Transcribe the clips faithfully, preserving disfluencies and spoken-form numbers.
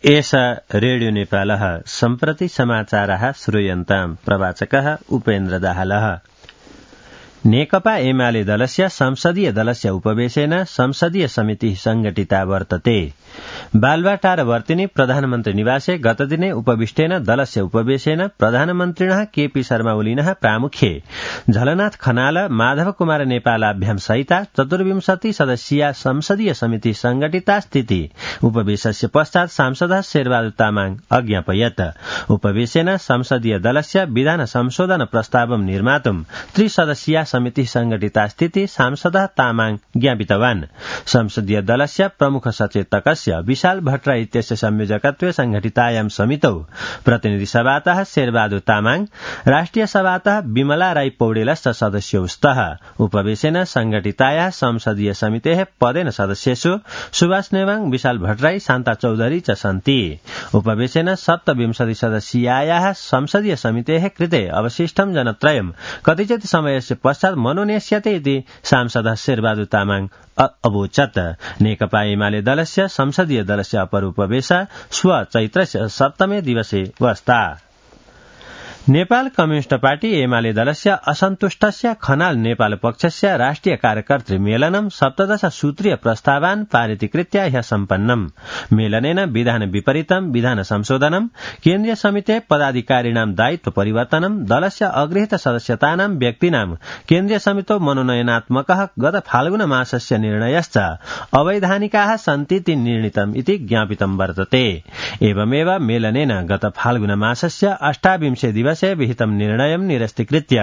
एष रेडियो नेपालः सम्प्रति समाचारः श्रूयन्ताम् प्रवाचकः उपेन्द्र दाहालः। नेकपा एमाले दलस्य संसदीय दलस्य उपवेशेन संसदीय समिति संघटिता वर्तते। बालुवाटार वर्तिनी प्रधानमन्त्री निवासे गतदिने उपविष्टेन दलस्य उपवेशेन प्रधानमन्त्रिणः केपी शर्मा ओलिनः प्रामुख्ये झलनाथ खनाल माधव कुमार नेपालाभ्यां सहिता चतुर्विंशति सदस्यीया संसदीय समिति संघटिता स्थिति उपवेशस्य पश्चात् सांसदः शेरबहादुर तामाङ अज्ञापयत्। उपवेशेन संसदीय दलस्य विधान संशोधन प्रस्तावं निर्मातुं त्रिसदस्यीया समिति संघटिता स्थिति सांसदः तामाङ ज्ञापितवान्। संसदीय दलस्य प्रमुख सचेतकस्य विशाल भट्टराई इत्यस्य संयोजकत्वे संघटितायां समितौ प्रतिनिधि सभातः शेरबहादुर तामाङ, राष्ट्रिय सभातः विमला राई पौडेलश्च सदस्यौ स्तः। उपवेशेन संघटितायाः संसदीय समितेः पदेन सदस्येषु सुभाष नेवाङ, विशाल भट्टराई, शान्ता चौधरी च सन्ति। उपवेशेन सप्तविंशति सदस्यीयायाः संसदीय समितेः कृते अवशिष्टं जनत्रयं कतिचित् समयस्य पश्चात् मनोनेष्यते इति सांसदः शेरबहादुर तामाङ अवोचत्। नेकपा एमाले दलस्य संसदीय दलस्य अपर उपवेश श्व चैत्रस्य सप्तमे दिवसे वस्ता। नेपाल कम्युनिष्ट पार्टी एमाले दलस्य असन्तुष्टस्य खनाल नेपाल पक्षस्य राष्ट्रिय कार्यकर्तृ मेलनं सप्तदश सूत्रीय प्रस्तावान् पारितीकृत्य ह्यः सम्पन्नम्। मेलनेन विधान विपरीतं विधान संशोधनं, केन्द्रीय समिते पदाधिकारिणां दायित्व परिवर्तनं, दलस्य अगृहीत सदस्यतानां व्यक्तीनां केन्द्रीय समितौ मनोनयनात्मकः गत फाल्गुन मासस्य निर्णयश्च अवैधानिकाः सन्तीति निर्णीतम् इति ज्ञापितं वर्तते। एवमेव मेलनेन गत फाल्गुन मासस्य अष्टाविंशे दिवसे विहितं निर्णयं निरस्तीकृत्य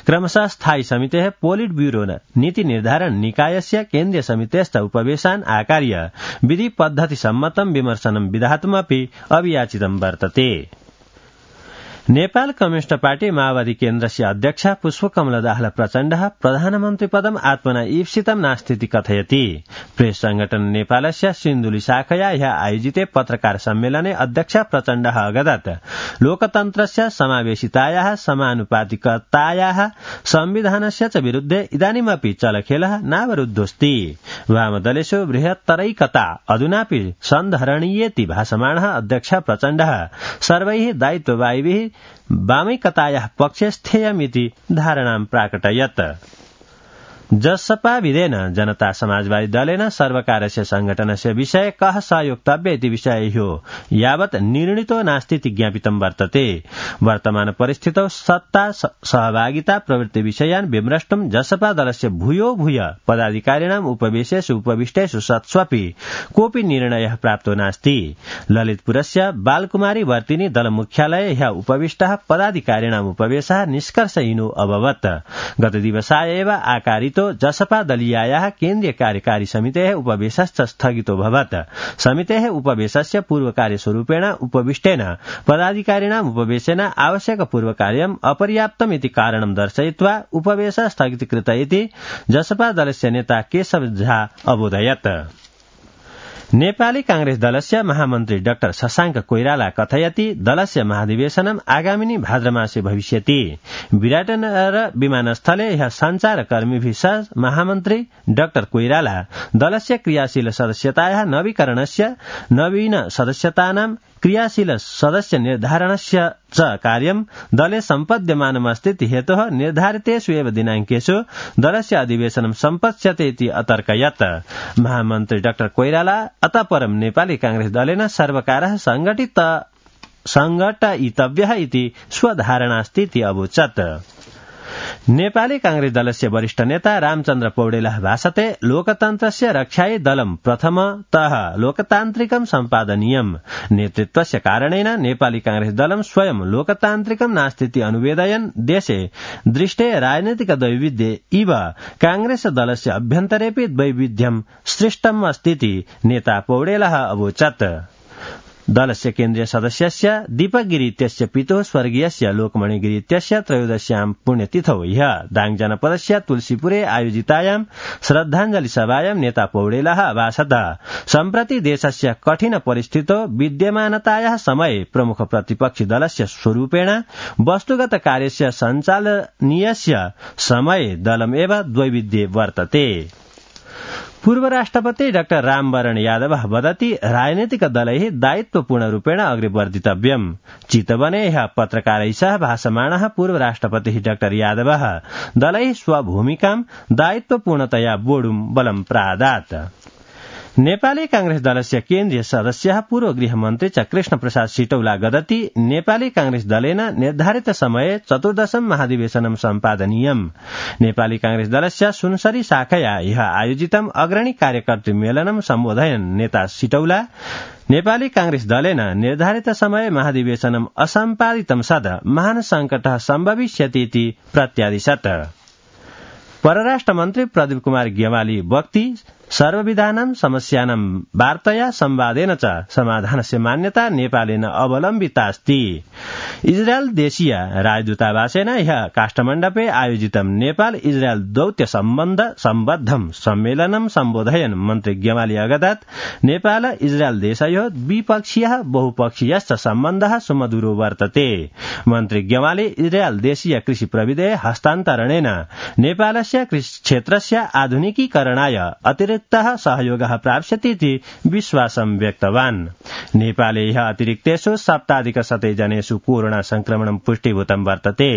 क्रमशः स्थायी समितेः पोलिट ब्यूरो नीति निर्धारण निकायस्य केन्द्रीय समितेश्च उपवेशान् आकार्य विधि पद्धति सम्मतं विमर्शनं विधातुमपि अभियाचितं वर्तते। नेपाल कम्युनिष्ट पार्टी माओवादी केन्द्रस्य अध्यक्ष पुष्पकमल दाहाल प्रचण्डः प्रधानमन्त्री पदम् आत्मना ईप्सितं नास्तीति कथयति। प्रेस संगठन नेपालस्य सिन्धुली शाखया ह्यः आयोजिते पत्रकार सम्मेलने अध्यक्ष प्रचण्डः अगदत् लोकतन्त्रस्य समावेशितायाः समानुपातिकतायाः संविधानस्य च विरुद्धे इदानीमपि चलखेलः नावरुद्धोऽस्ति। वामदलेषु बृहत्तरैकता अधुनापि सन्धरणीयेति भाषमाणः अध्यक्ष प्रचण्डः सर्वैः दायित्ववाहिभिः वामैकतायाः पक्षे स्थेयमिति धारणां प्राकटयत्। जसपा विधेन जनता समाजवादी दलेन सर्वकारस्य संगठनस्य विषये कः सहयोक्तव्य इति विषय ह्यो यावत् निर्णीतो नास्तीति ज्ञापितं वर्तते। वर्तमान परिस्थितौ सत्ता सहभागिता प्रवृत्ति विषयान् विमृष्टुं जसपा दलस्य भूयो भूय पदाधिकारिणाम् उपवेशेषु उपविष्टेषु सत्स्वपि कोऽपि निर्णयः प्राप्तो नास्ति। ललितपुरस्य बालकुमारी वर्तिनी दल मुख्यालये ह्यः उपविष्टः पदाधिकारिणाम् उपवेशः निष्कर्षहीनो अभवत्। गतदिवसाय एव आकारितो जसपा दलीयायाः केन्द्रीय कार्यकारी समितेः उपवेशश्च स्थगितोऽभवत्। समितेः उपवेशस्य पूर्वकार्यस्वरूपेण उपविष्टेन पदाधिकारिणाम् उपवेशेन आवश्यक पूर्वकार्यम् अपर्याप्तमिति कारणं दर्शयित्वा उपवेश स्थगितीकृत इति जसपा दलस्य नेता केशव झा अबोधयत्। नेपाली कांग्रेस दलस्य महामन्त्री डाक्टर शशांक कोइराला कथयति दलस्य महाधिवेशनम् आगामिनी भाद्रमासे भविष्यति। विराटनगर विमानस्थले ह्यः सञ्चारकर्मीभिः सह महामन्त्री डाक्टर कोइराला दलस्य क्रियाशील सदस्यतायाः नवीकरणस्य नवीन सदस्यतानां क्रियाशील सदस्य निर्धारणस्य च कार्यं दले सम्पद्यमानमस्ति हेतोः निर्धारितेषु एव दिनाङ्केषु दलस्य अधिवेशनं सम्पत्स्यते इति अतर्कयत्। महामन्त्री डाक्टर कोइराला अतः परं नेपाली कांग्रेस दलेन सर्वकारः संघटित संघटयितव्यः इति स्वधारणास्ति इति अवोचत्। नेपाली कांग्रेस दलस्य वरिष्ठ नेता रामचन्द्र पौडेलः भाषते लोकतन्त्रस्य रक्षायै दलं प्रथमतः लोकतान्त्रिकं सम्पादनीयम्। नेतृत्वस्य कारणेन नेपाली कांग्रेस दलं स्वयं लोकतान्त्रिकं नास्तीति अनुवेदयन् देशे दृष्टे राजनैतिक दैविध्ये इव कांग्रेस दलस्य अभ्यन्तरेऽपि वैविध्यं सृष्टम् अस्तीति नेता पौडेलः अवोचत्। दलस्य केन्द्रीय सदस्यस्य दीपक गिरी इत्यस्य पितुः स्वर्गीयस्य लोकमणि गिरी इत्यस्य त्रयोदश्यां पुण्यतिथौ ह्यः दाङ जनपदस्य तुलसीपुरे आयोजितायां श्रद्धाञ्जलि सभायां नेता पौडेलः अभाषत। सम्प्रति देशस्य कठिन परिस्थितौ विद्यमानतायाः समये प्रमुख प्रतिपक्षी दलस्य स्वरूपेण वस्तुगत कार्यस्य सञ्चालनीयस्य समये दलमेव द्वैविध्ये वर्तते। पूर्व राष्ट्रपति डाक्टर रामवरण यादव वदति राजनीतिक दलैः दायित्वपूर्णरूपेण अग्रे वर्धितव्यम्। चितवने ह्यः पत्रकारैः सह भाषमाणः पूर्व राष्ट्रपतिः डाक्टर यादवः दलैः स्वभूमिकां दायित्वपूर्णतया वोढुं बलं प्रादात्। नेपाली कांग्रेस दलस्य केन्द्रीय सदस्यः पूर्व गृहमन्त्री च कृष्ण प्रसाद सिटौला गदति नेपाली कांग्रेस दलेन निर्धारित समये चतुर्दशम महाधिवेशनं सम्पादनीयम्। नेपाली कांग्रेस दलस्य सुनसरी शाखया ह्यः आयोजितम् अग्रणी कार्यकर्तृ मेलनं सम्बोधयन् नेता सिटौला नेपाली कांग्रेस दलेन निर्धारित समय महाधिवेशनम् असम्पादितं सद महान् संकटः सम्भविष्यतीति प्रत्यादिशत्। परराष्ट्र मन्त्री प्रदीप कुमार गेवाली वक्ति सर्वविधानां समस्यानां वार्तया संवादेन च समाधानस्य मान्यता नेपालेन अवलम्बितास्ति। इजरायल देशीय राजदूतावासेन ह्यः काष्ठमण्डपे आयोजितं नेपाल इजरायल दौत्य सम्बन्ध सम्बद्धं सम्मेलनं सम्बोधयन् मन्त्री गेवाली अगदत् नेपाल इजरायल देशयोः द्विपक्षीयः बहुपक्षीयश्च सम्बन्धः सुमधुरो वर्तते। मन्त्री गेवाली इजरायल देशीय कृषि प्रविधेः हस्तान्तरणेन नेपालस्य कृषि क्षेत्रस्य आधुनिकीकरणाय अतिरिक्त सहयोगः प्राप्स्यतीति विश्वासं व्यक्तवान्। नेपाले ह्यः अतिरिक्तेषु सप्ताधिकशते जनेषु कोरोना संक्रमणं पुष्टीभूतं वर्तते।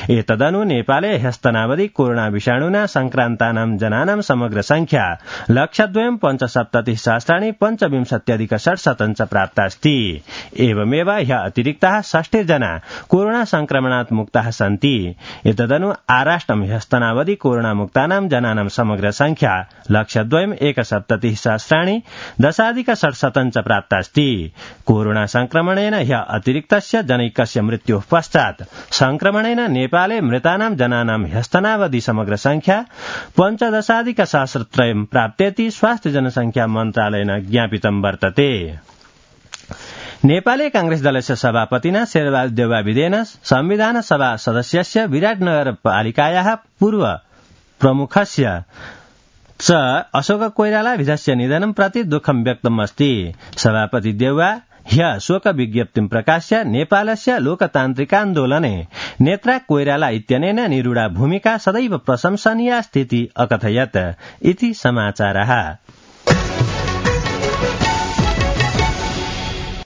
एतदनु नेपाले ह्यस्तनावधि कोरोना विषाणुना संक्रान्तानां जनानां समग्र संख्या लक्षद्वयं पञ्चसप्ततिः सहस्राणि पञ्चविंशत्यधिक षट्शतं च प्राप्तास्ति। एवमेव ह्यः अतिरिक्ताः षष्टिर्जना कोरोना संक्रमणात् मुक्ताः सन्ति। एतदनु आराष्ट्रं ह्यस्तनावधि कोरोना मुक्तानां जनानां समग्र संख्या लक्षद्वयं एकसप्ततिः सहस्राणि दशाधिक षट्शतं च प्राप्तास्ति। कोरोना संक्रमणेन ह्यः अतिरिक्तस्य जनैकस्य मृत्योः पश्चात् संक्रमणेन नेपाले मृतानां जनानां ह्यस्तनावधि समग्र संख्या पञ्चदशाधिक सहस्रत्रयं प्राप्तेति स्वास्थ्य जनसंख्या मन्त्रालयेन ज्ञापितं वर्तते। नेपाली कांग्रेस दलस्य सभापतिना शेरबहादुर देउवाविदेन संविधान सभा सदस्यस्य विराटनगरपालिकायाः पूर्व प्रमुखस्य च अशोक कोइरालाभिधस्य निधनं प्रति दुःखं व्यक्तम् अस्ति। सभापति देउवा ह्यः शोक विज्ञप्तिं प्रकाश्य नेपालस्य लोकतान्त्रिकान्दोलने नेत्रा कोइराला इत्यनेन निरूढा भूमिका सदैव प्रशंसनीया स्थिति अकथयत् इति समाचारः।